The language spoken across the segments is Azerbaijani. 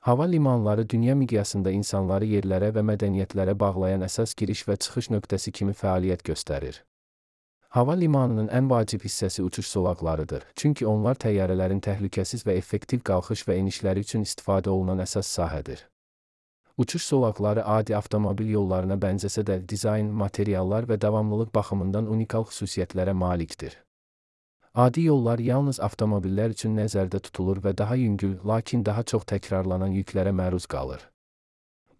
Hava limanları dünya miqyasında insanları yerlərə və mədəniyyətlərə bağlayan əsas giriş və çıxış nöqtəsi kimi fəaliyyət göstərir. Hava limanının ən vacib hissəsi uçuş zolaqlarıdır, çünki onlar təyyarələrin təhlükəsiz və effektiv qalxış və enişləri üçün istifadə olunan əsas sahədir. Uçuş zolaqları adi avtomobil yollarına bənzəsə də dizayn, materiallar və davamlılıq baxımından unikal xüsusiyyətlərə malikdir. Adi yollar yalnız avtomobillər üçün nəzərdə tutulur və daha yüngül, lakin daha çox təkrarlanan yüklərə məruz qalır.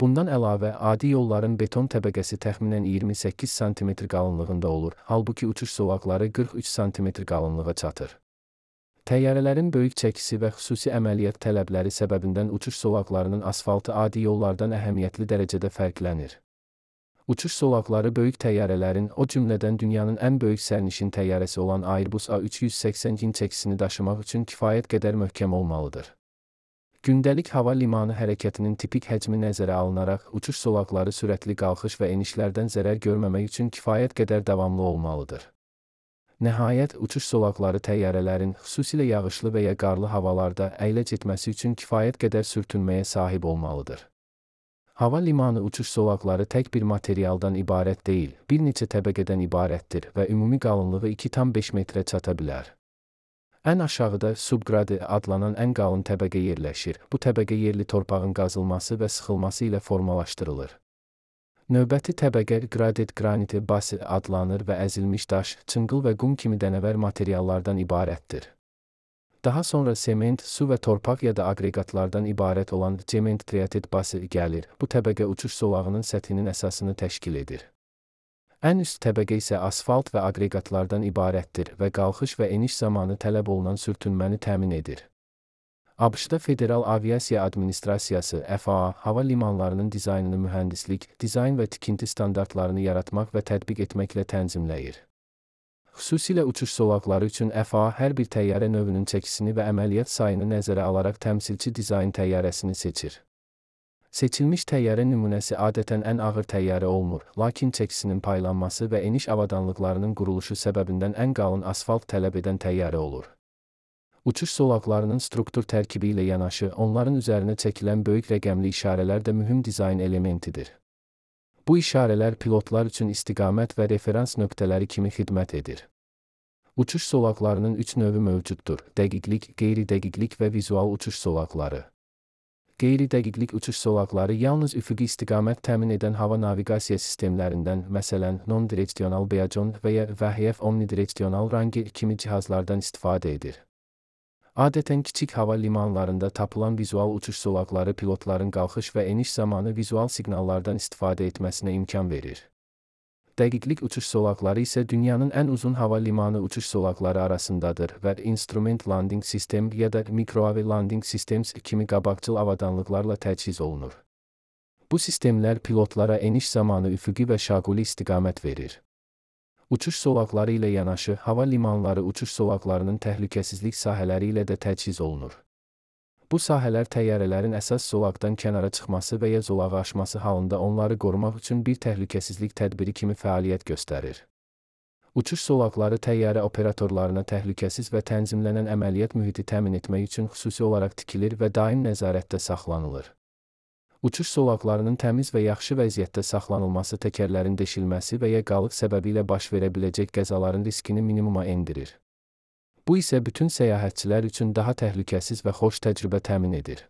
Bundan əlavə, adi yolların beton təbəqəsi təxminən 28 sm qalınlığında olur, halbuki uçuş zolaqları 43 sm qalınlığa çatır. Təyyarələrin böyük çəkisi və xüsusi əməliyyat tələbləri səbəbindən uçuş zolaqlarının asfaltı adi yollardan əhəmiyyətli dərəcədə fərqlənir. Uçuş zolaqları böyük təyyarələrin, o cümlədən dünyanın ən böyük sərnişin təyyarəsi olan Airbus A380-in çəkisini daşımaq üçün kifayət qədər möhkəm olmalıdır. Gündəlik hava limanı hərəkətinin tipik həcmi nəzərə alınaraq, uçuş zolaqları sürətli qalxış və enişlərdən zərər görməmək üçün kifayət qədər davamlı olmalıdır. Nəhayət, uçuş zolaqları təyyarələrin, xüsusilə yağışlı və ya qarlı havalarda əyləc etməsi üçün kifayət qədər sürtünməyə sahib olmalıdır. Hava limanı uçuş zolaqları tək bir materialdan ibarət deyil, bir neçə təbəqədən ibarətdir və ümumi qalınlığı 2,5 metrə çata bilər. Ən aşağıda subqradi adlanan ən qalın təbəqə yerləşir. Bu təbəqə yerli torpağın qazılması və sıxılması ilə formalaşdırılır. Növbəti təbəqə gradet graniti bası adlanır və əzilmiş daş, çınqıl və qum kimi dənəvər materiallardan ibarətdir. Daha sonra sement, su və torpaq ya da aqreqatlardan ibarət olan sement triatit bası gəlir. Bu təbəqə uçuş zolağının səthinin əsasını təşkil edir. Ən üst təbəqə isə asfalt və aqreqatlardan ibarətdir və qalxış və eniş zamanı tələb olunan sürtünməni təmin edir. ABŞ-da Federal Aviasiya Administrasiyası (FAA) hava limanlarının dizaynını mühəndislik, dizayn və tikinti standartlarını yaratmaq və tətbiq etməklə tənzimləyir. Xüsusilə uçuş zolaqları üçün FAA hər bir təyyarə növünün çəkisini və əməliyyat sayını nəzərə alaraq təmsilçi dizayn təyyarəsini seçir. Seçilmiş təyyarə nümunəsi adətən ən ağır təyyarə olmur, lakin çəkisinin paylanması və eniş avadanlıqlarının quruluşu səbəbindən ən qalın asfalt tələb edən təyyarə olur. Uçuş zolaqlarının struktur tərkibi ilə yanaşı, onların üzərinə çəkilən böyük rəqəmli işarələr də mühüm dizayn elementidir. Bu işarələr pilotlar üçün istiqamət və referans nöqtələri kimi xidmət edir. Uçuş zolaqlarının 3 növü mövcuddur: dəqiqlik, qeyri-dəqiqlik və vizual uçuş zolaqları. Qeyri-dəqiqlik uçuş zolaqları yalnız üfüqi istiqamət təmin edən hava naviqasiya sistemlərindən, məsələn, non-direksional Beajon və ya VHF omnidireksional Ranger kimi cihazlardan istifadə edir. Adətən kiçik hava limanlarında tapılan vizual uçuş zolaqları pilotların qalxış və eniş zamanı vizual siqnallardan istifadə etməsinə imkan verir. Dəqiqlik uçuş zolaqları isə dünyanın ən uzun hava limanı uçuş zolaqları arasındadır və Instrument Landing System ya da Microwave Landing Systems kimi qabaqcıl avadanlıqlarla təchiz olunur. Bu sistemlər pilotlara eniş zamanı üfüqi və şaquli istiqamət verir. Uçuş zolaqları ilə yanaşı, hava limanları uçuş zolaqlarının təhlükəsizlik sahələri ilə də təchiz olunur. Bu sahələr təyyarələrin əsas zolaqdan kənara çıxması və ya zolağı aşması halında onları qorumaq üçün bir təhlükəsizlik tədbiri kimi fəaliyyət göstərir. Uçuş zolaqları təyyarə operatorlarına təhlükəsiz və tənzimlənən əməliyyat mühiti təmin etmək üçün xüsusi olaraq tikilir və daim nəzarətdə saxlanılır. Uçuş zolaqlarının təmiz və yaxşı vəziyyətdə saxlanılması təkərlərin deşilməsi və ya qalıq səbəbi ilə baş verə biləcək qəzaların riskini minimuma endirir. Bu isə bütün səyahətçilər üçün daha təhlükəsiz və xoş təcrübə təmin edir.